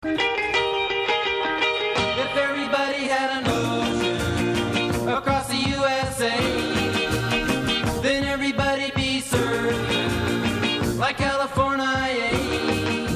If everybody had an ocean across the USA, then everybody'd be served like California.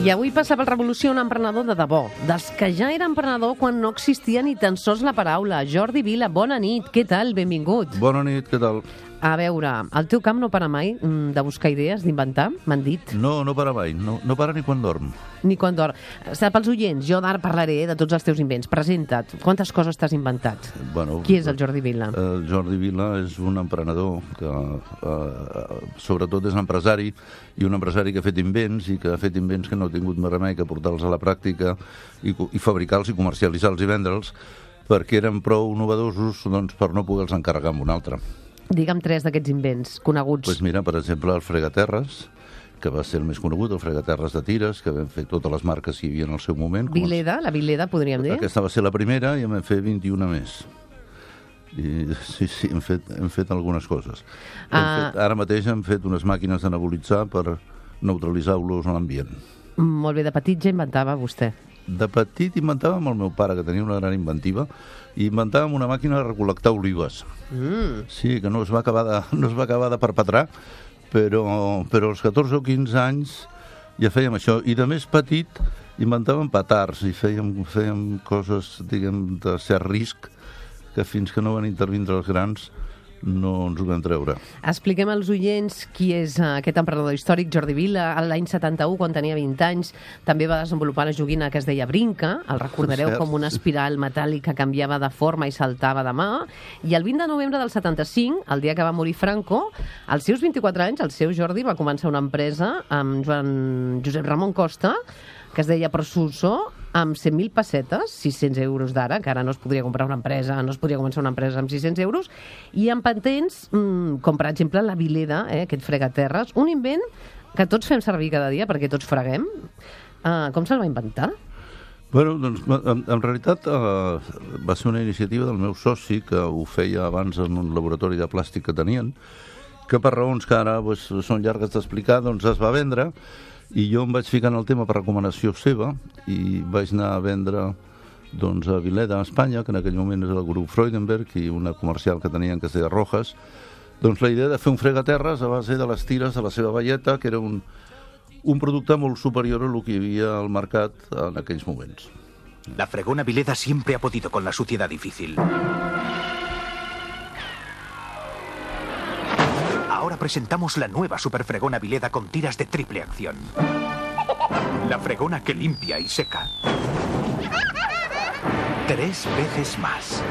I avui passa per Revolució un emprenedor de debò, dels que ja era emprenedor quan no existia ni tan sols la paraula. Jordi Vila, bona nit, què tal? Benvingut. Bona nit, què tal? A veure, el teu camp no para mai de buscar idees, d'inventar, m'han dit. No para mai, no para ni quan dorm. Ni quan dorm. Pels oients, jo d'ara parlaré de tots els teus invents. Presenta't, quantes coses t'has inventat? Bueno, Qui és el Jordi Vila? El Jordi Vila és un emprenedor que sobretot és empresari, i un empresari que ha fet invents i que ha fet invents que no ha tingut més remei que portar-los a la pràctica i fabricar-los i comercialitzar-los i vendre'ls perquè eren prou novedosos per no poder-los encarregar amb un altre. Digue'm 3 d'aquests invents coneguts. Doncs mira, per exemple, el fregaterres, que va ser el més conegut, el fregaterres de tires, que vam fer totes les marques que hi havia en el seu moment. Vileda, la Vileda, podríem dir? Aquesta va ser la primera i en vam fer 21 més. I sí, hem fet algunes coses. Ara mateix hem fet unes màquines de nebulitzar per neutralitzar olors a l'ambient. Molt bé, de petit ja inventava vostè. De petit inventava amb el meu pare, que tenia una gran inventiva, i inventàvem una màquina de recol·lectar olives. Sí, que no es va acabar de perpetrar, però als 14 o 15 anys ja fèiem això. I de més petit inventàvem petards i fèiem coses, diguem, de cert risc, que fins que no van intervindre els grans no ens ho vam treure. Expliquem als oients qui és aquest emprenedor històric, Jordi Vila. L'any 71, quan tenia 20 anys, també va desenvolupar la joguina que es deia Brinca. El recordareu com una espiral metàl·lica que canviava de forma i saltava de mà. I el 20 de novembre del 75, el dia que va morir Franco, als seus 24 anys, el seu Jordi va començar una empresa amb Josep Ramon Costa, que es deia Prosuso, amb 100.000 pessetes, 600 euros d'ara, que ara no es podria comprar una empresa, no es podria començar una empresa amb 600 euros, i amb patents, com per exemple la Vileda, aquest fregaterres, un invent que tots fem servir cada dia, perquè tots freguem. Com se'l va inventar? Bueno, doncs, en realitat va ser una iniciativa del meu soci, que ho feia abans en un laboratori de plàstic que tenien, que per raons que ara són llargues d'explicar, doncs es va vendre, i jo em vaig ficar en el tema per recomanació seva i vaig anar a vendre a Vileda, a Espanya, que en aquell moment és el grup Freudenberg, i una comercial que tenien que es deia Rojas. Doncs la idea de fer un fregaterres a base de les tires de la seva velleta, que era un producte molt superior a lo que hi havia al mercat en aquells moments. La fregona Vileda siempre ha podido con la suciedad difícil. Ahora presentamos la nueva superfregona Vileda con tiras de triple acción. La fregona que limpia y seca 3 veces más.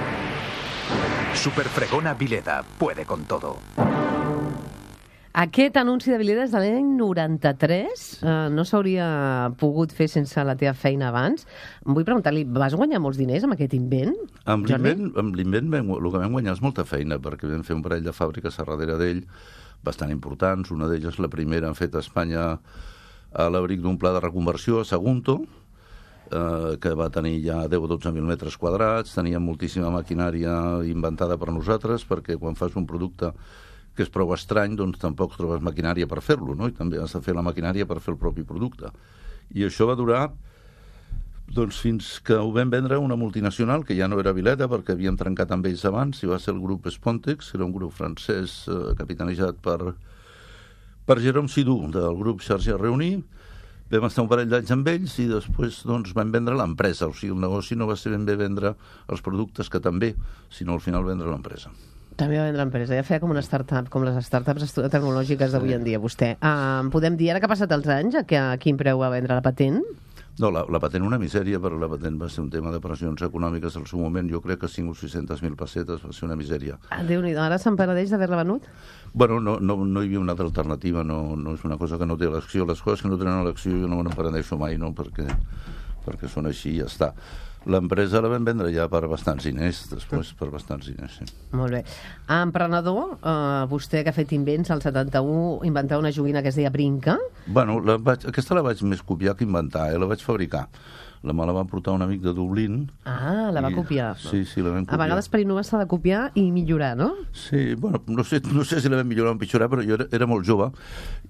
Superfregona Vileda puede con todo. Aquest anunci de Vileda és de l'any 93. No s'hauria pogut fer sense la teva feina abans. Vull preguntar-li, vas guanyar molts diners amb aquest invent? Amb l'invent el que vam guanyar és molta feina, perquè vam fer un parell de fàbriques a darrere d'ell bastant importants. Una d'elles, la primera, feta a Espanya a l'abric d'un pla de reconversió a Sagunto, que va tenir ja 10 o 12.000 metres quadrats. Tenia moltíssima maquinària inventada per nosaltres, perquè quan fas un producte que és prou estrany, doncs tampoc trobes maquinària per fer-lo, no? I també has de fer la maquinària per fer el propi producte. I això va durar fins que ho vam vendre a una multinacional, que ja no era Vileda, perquè havíem trencat amb ells abans, i va ser el grup Spontex, que era un grup francès capitanejat per Jérôme Sidou, del grup Xarxa Reuní. Vam estar un parell d'anys amb ells i després vam vendre l'empresa. O sigui, el negoci no va ser ben bé vendre els productes, que també, sinó al final vendre l'empresa. També va vendre l'empresa. Ja feia com una startup, com les startups tecnològiques d'avui en dia, vostè. Podem dir, ara que ha passat els anys, a quin preu va vendre la patent? No, la patent una misèria, però la patent va ser un tema de pressions econòmiques al seu moment. Jo crec que 5 o 600.000 pessetes va ser una misèria. Déu-n'hi-do, ara se'n penedeix d'haver-la venut? Bueno, no hi havia una altra alternativa, no és una cosa que no té elecció. Les coses que no tenen elecció jo no me n'empenedeixo mai, no? Perquè són així i ja està. L'empresa la vam vendre ja per bastants diners, després per bastants diners, sí. Molt bé. Emprenedor, vostè que ha fet invents, al 71 inventà una joguina que es deia Brinca. Bueno, aquesta la vaig més copiar que inventar, la vaig fabricar. Me la va portar un amic de Dublín. Ah, la va copiar. Sí, la vam copiar. A vegades per innovar s'ha de copiar i millorar, no? Sí, bueno, no sé si la vam millorar o empitjorar, però jo era molt jove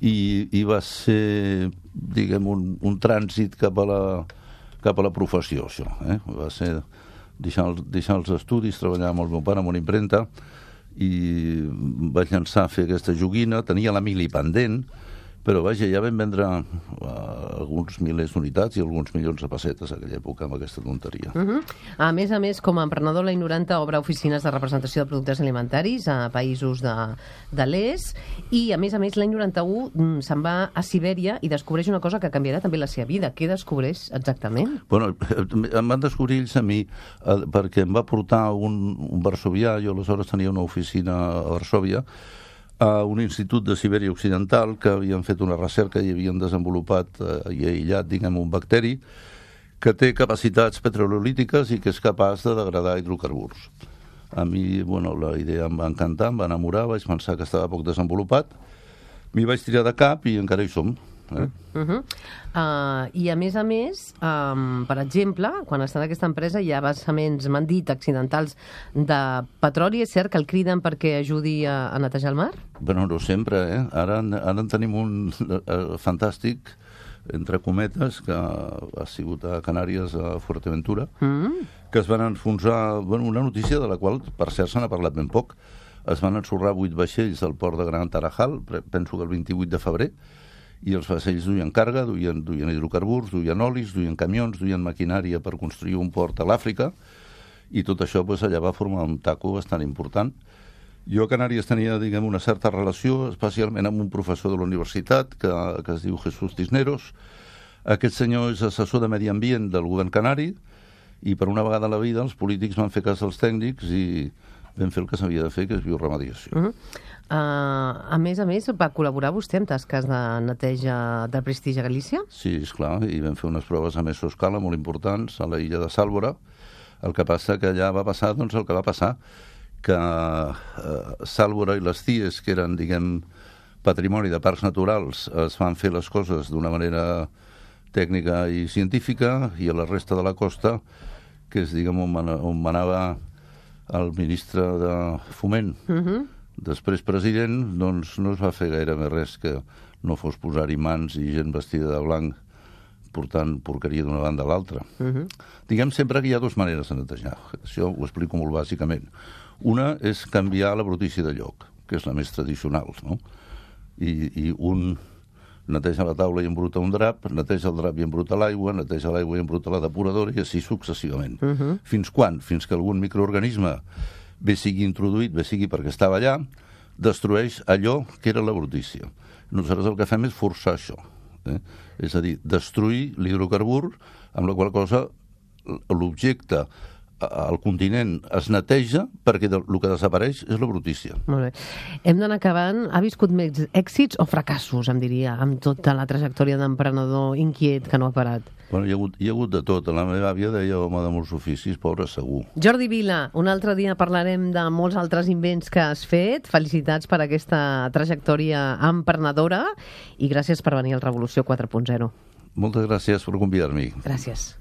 i va ser, diguem, un trànsit cap a cap a la professió, això. Va ser deixar els estudis, treballar amb el meu pare en una impremta, i vaig llançar a fer aquesta joguina. Tenia la mili pendent, però vaja, ja vam vendre alguns milers d'unitats i alguns milions de pessetes a aquella època amb aquesta tonteria. A més, com a emprenedor, l'any 90 obre oficines de representació de productes alimentaris a països de l'est, i a més, l'any 91 se'n va a Sibèria i descobreix una cosa que canviarà també la seva vida. Què descobreix exactament? Bueno, em van descobrir ells a mi perquè em va portar un varsovià. Jo aleshores tenia una oficina a Varsòvia, a un institut de Sibèria Occidental, que havien fet una recerca i havien desenvolupat i aïllat, diguem, un bacteri que té capacitats petrolítiques i que és capaç de degradar hidrocarburs. A mi, la idea em va encantar, em va enamorar, vaig pensar que estava poc desenvolupat, m'hi vaig tirar de cap i encara hi som. I a més, per exemple, quan està en aquesta empresa hi ha vessaments, m'han dit, accidentals de petroli. És cert que el criden perquè ajudi a netejar el mar? Bueno, no sempre, Ara en tenim un fantàstic, entre cometes, que ha sigut a Canàries, a Fuerteventura, que es van enfonsar, una notícia de la qual, per cert, se n'ha parlat ben poc. Es van ensorrar 8 vaixells al port de Gran Tarajal, penso que el 28 de febrer, i els vaixells duien carga, duien hidrocarburs, duien olis, duien camions, duien maquinària per construir un port a l'Àfrica, i tot això allà va formar un taco bastant important. Jo a Canàries tenia, diguem, una certa relació, especialment amb un professor de la universitat que es diu Jesús Cisneros. Aquest senyor és assessor de medi ambient del govern canari, i per una vegada a la vida els polítics van fer cas als tècnics i vam fer el que s'havia de fer, que és bioremediació. A més, va col·laborar vostè en tasques de neteja de prestigi a Galícia? Sí, esclar, i vam fer unes proves a mesoscala molt importants a la illa de Sálvora. El que passa que allà va passar el que va passar, que Sálvora i les Cies, que eren, diguem, patrimoni de parcs naturals, es van fer les coses d'una manera tècnica i científica, i a la resta de la costa, que és, diguem, on manava el ministre de Foment, després president, doncs no es va fer gaire més res que no fos posar-hi mans i gent vestida de blanc portant porqueria d'una banda a l'altra. Diguem sempre que hi ha dues maneres de netejar. Això ho explico molt bàsicament. Una és canviar la brutícia de lloc, que és la més tradicional, no? I un neteja la taula i embruta un drap, neteja el drap i embruta l'aigua, neteja l'aigua i embruta la depuradora, i així successivament. Fins quan? Fins que algun microorganisme, bé sigui introduït, bé sigui perquè estava allà, destrueix allò que era la brutícia. Nosaltres el que fem és forçar això. És a dir, destruir l'hidrocarbur, amb la qual cosa l'objecte, el continent, es neteja perquè el que desapareix és la brutícia. Molt bé. Hem d'anar acabant. Ha viscut més èxits o fracassos, em diria, amb tota la trajectòria d'emprenedor inquiet que no ha parat? Bueno, hi ha hagut de tot. La meva àvia deia home de molts oficis, pobre segur. Jordi Vila, un altre dia parlarem de molts altres invents que has fet. Felicitats per aquesta trajectòria emprenedora i gràcies per venir al Revolució 4.0. Moltes gràcies per convidar-m'hi. Gràcies.